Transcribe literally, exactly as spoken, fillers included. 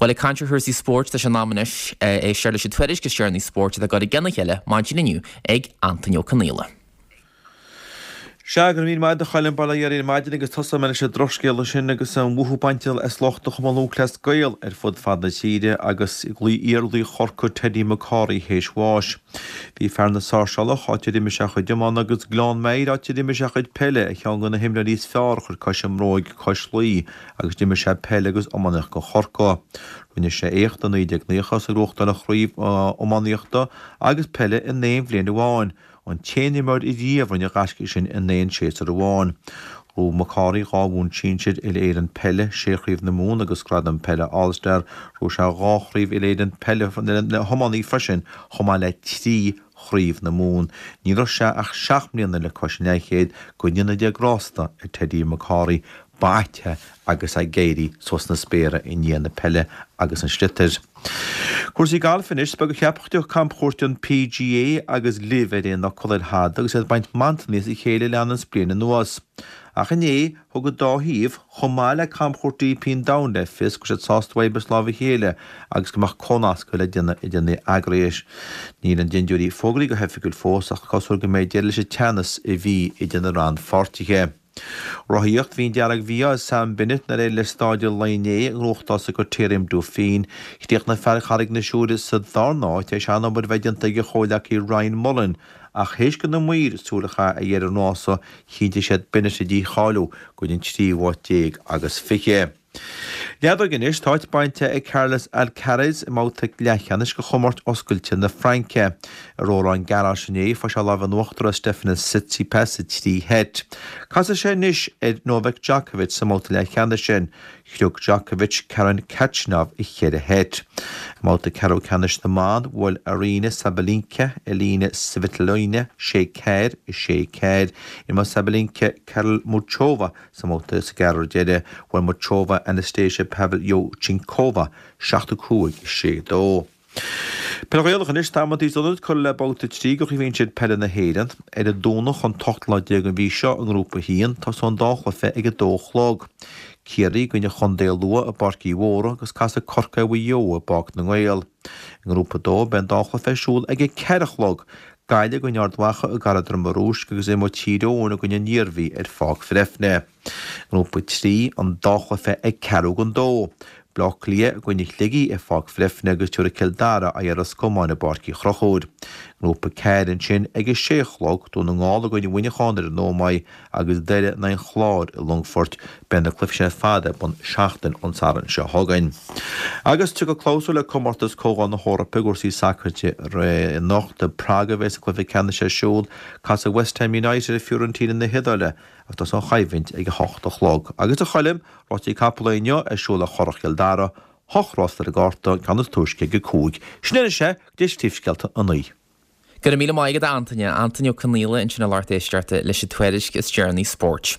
Well ag caint ar chúrsaí spóirt tá sé in am anois éisteacht leis an tuairisc is deireanaí spóirt atá curtha i gcéile maidin inniu ag Antaine Ó Conghaile. Sea, go raibh míle maith agat a Choilm, bail ó Dhia oraibh ar maidin agus tosóidh mé leis an drochscéala sin agus an mhothú bainte as lucht an Chumann Lúthchleas Gael ar fud fad na tíre agus iar-laoch Chorcaí Teddy McCorry théis bháis. Bhí fear na Sáirseálach, áit ar imir sé a chuid iomána, agus Gleann Maghair, áit ar imir sé a chuid peile, ar cheann de na himreoirí is fearr a chuir cois i mbróig cois Laoi agus d'imir sé peil agus iománaíocht do Chorcaigh. Rinne sé éacht i naoi déag naocha is é ag gnóthachtáil an chraobh iománaíochta agus peile in aon bhliain amháin. An t-aon imreoir riamh a rinne an gaisce sin in aon séasúr amháin. Ghnóthaigh McCorry dhá bhonn sinsir Uile-Éireann Peile, sé Chraobh na Mumhan agus Gradam Peile All-Star. Ghnóthaigh sé dhá Chraobh Uile-Éireann Peile na hiománaí freisin, chomh maith le trí Chraobh na Mumhan. Ní raibh sé ach seacht mbliana le cois an leathchéid, go ndéana Dia grásta ar Teddy McCorry. Ba ait é agus é ag éirí suas sna spéartha i ndiaidh na peile agus an sliotair. Cúrsaí gailf anois, is beag a cheapfadh go dtiocfadh camchuairt an PGA agus LIV ar aon fhocal ar thada agus iad ag baint mantanna as a chéile le leanúint bliain anuas. Ach inné, thug an dá thaobh, chomh maith le camchuairt DP an domhain le fios go raibh siad sásta oibriú as lámh a chéile agus go mbeadh comhnascadh le déanamh idir na heagrais. Níl na dintiúirí fógraithe go hoifigiúil fós ach cosúil go mbeidh deireadh leis an teannas a bhí idir na rannpháirtithe. Rothaíocht, Bhí an dearg-mhí-ádh ar Sam Bennett nár éirigh leis Stáid Lae inné a ghnóthachtáil sa Criterium Dauphine. Chríochnaigh fear Charraig na Siúire sa darna háit tar éis an-obair a bheith déanta ag a chomhghleacaí Ryan Mullen ach théis do na maoir súil a chaitheamh ar dheireadh an rása, chinntigh siad Bennett a dhícháiliú go dtí an tríú háit déag agus fiche. Leadóg anois, tá áit bainte ag Carlos Alcaraz i mbabhta leathcheannais de Chomórtas Oscailte na Fraince. I Roland Garros inné, fuair sé lámh in uachtar ar Stefanos Tsitsipas i trí sheit. Casfaidh sé anois ar Novak Djokovic sa mbabhta leathcheannais sin. Chroch Djokovic Karen Khachanov i cheithre sheit. I mbabhta ceathrú ceannais na mban, bhuail Aryna Sabalenka Elina Svitolina sé ceathair, sé ceathair. Imreoidh Sabalenka Karol Muchova Sa mbabhta sa gceathrú deiridh, bhuail Muchova Anastasia Pavlyuchenkova seacht a cúig, sé dó. Peil Ghaelach anois, tá amantaí is ionaid curtha le babhta trí de Chraobh Shinsir Peile na hÉireann. Ar an Domhnach an t-ochtú lá déag den mhí seo i nGrúpa a haon, tosóidh an dá chluiche ag a dó a chlog. Ciarraí i gcoinne Chontae Lú i bPáirc Uí Mhórdha agus casfaidh Corcaigh ar Mhaigh Eo i bPáirc na nGael. I nGrúpa a dó, beidh an dá chluiche ar siúl ag a ceathair a chlog. Gaillimh i gcoinne Ard Mhacha i gCathair Droma Rúisc agus imreoidh Tír Eoghain i gcoinne an Iarmhí ar Pháirc Bhreifne. Grúpa trí, an dá chluiche ag ceathrú don dó. Baile Átha Cliath i gcoinne Shligigh ar Pháirc Bhreifne agus tabharfaidh Cill Dara aghaidh ar Ros Comáin i bPáirc Uí Chonchúir. Grúpa ceathair ansin ag a sé a chlog, Dún na nGall i gcoinne Mhuineacháin ar an Ómaigh agus Doire in aghaidh an Chláir i Longfort. Beidh na cluichí sin ar fad ar bun seachtain ón Satharn seo chugainn. Agus tiocfaidh clabhsúr le Comórtas Comhdháil na hEorpa i gcúrsaí sacair anocht. I bPrague a bheas an cluiche ceannais ar siúl. Casfaidh West Ham United ar Fiorentina na hIodáile agus tosóidh an choimhlint ag a hocht a chlog. Agus a Choilm, rásaí capall inniu ar siúl ar Churrach Chill Dara, hocht rás ar an gcárta, an ceann is túisce ag a cúig. Sin é anois é, go dtí príomhscéalta a naoi. Go raibh míle maith agat a Antaine. Antaine Ó Conghaile ansin a lucht éisteachta leis an tuairisc is deireanaí spóirt.